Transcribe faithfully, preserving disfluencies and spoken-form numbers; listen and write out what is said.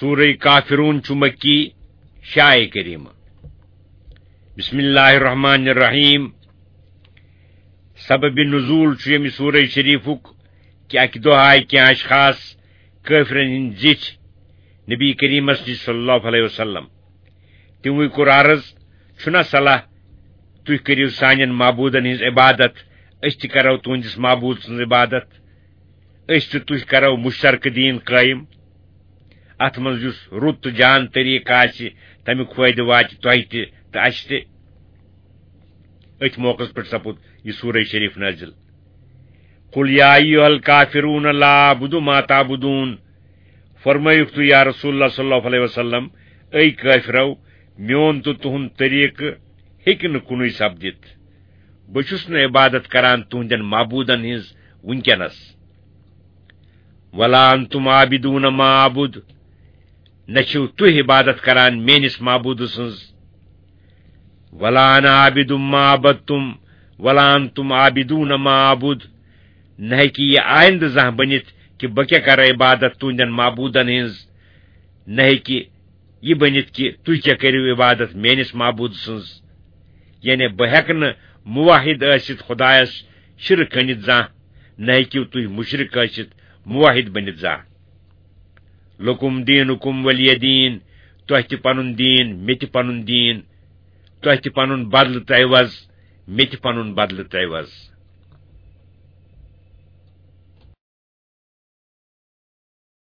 سورہ کافرون چھُ مکی، شیٚے آیہِ کریمہ۔ بسم اللہ الرحمن الرحیم۔ سبب نزول چھُ ییٚمہِ سورہ شریفُک کہِ اکہِ دۄہ آیہِ کینٛہہ اشخاص کٲفرن ہٕنٛدۍ زِٹھۍ نبی کریمس نِش صلی اللہ علیہ وسلم۔ تِموٕے کوٚر عرض، چھُنا صلاح تُہۍ کٔرِو سانٮ۪ن معبوٗدن ہٕنٛز عبادت، أسۍ تہِ کرو تُہنٛدِس معبوٗد سٕنٛز عبادت، أسۍ تہٕ تُہۍ کرو مشترکہٕ دیٖن قٲیِم۔ اتھ منٛز یُس رُت تہٕ جان طریٖقہٕ آسہِ، تمیُک فٲیدٕ واتہِ تۄہہِ تہِ تہٕ اسہِ تہِ۔ أتھۍ موقعس پٮ۪ٹھ سپُد یہِ سورہ شریف نازل۔ قل یا ایھا الکافرون لا اعبد ما تعبدون۔ فرمٲیِکھ تُہۍ یا رسول اللہ صلی اللہ علیہ وسلم، اے کٲفرو، میون تہٕ تُہُنٛد طریٖقہٕ ہیٚکہِ نہٕ کُنُے سپدِتھ۔ بہٕ چھُس نہٕ عبادت کران تُہنٛدٮ۪ن معبوٗدن ہٕنٛز وٕنکیٚنس۔ ولا انتم عابدون ما اعبد، نہ چھِو تُہۍ عبادت کران میٲنِس معبوٗد سٕنٛز۔ ولا انا عابد ما عبدتم، ولا انتم عابدون ما اعبد، نہ ہیٚکہِ یہِ آیندٕ زانٛہہ بٔنِتھ کہِ بہٕ کیٛاہ کرٕ عبادت تُہنٛدٮ۪ن معبوٗدن ہٕنٛز، نہ ہیٚکہِ یہِ بٔنِتھ کہِ تُہۍ کیٛاہ کٔرِو عبادت میٲنِس معبوٗد سٕنٛز۔ یعنی بہٕ ہیٚکہٕ نہٕ موحد ٲسِتھ خدایس شرک کٔنِتھ زانٛہہ، نہ ہیٚکِو تُہۍ مشرک ٲسِتھ موحد بٔنِتھ زانٛہہ۔ لکم دینکم ولی دین، تۄہہِ تہِ پنُن دیٖن، مےٚ تہِ پنُن دیٖن، تۄہہِ تہِ پنُن بدلہٕ تہٕ عوض، مےٚ تہِ پنُن بدلہٕ تہٕ عوض۔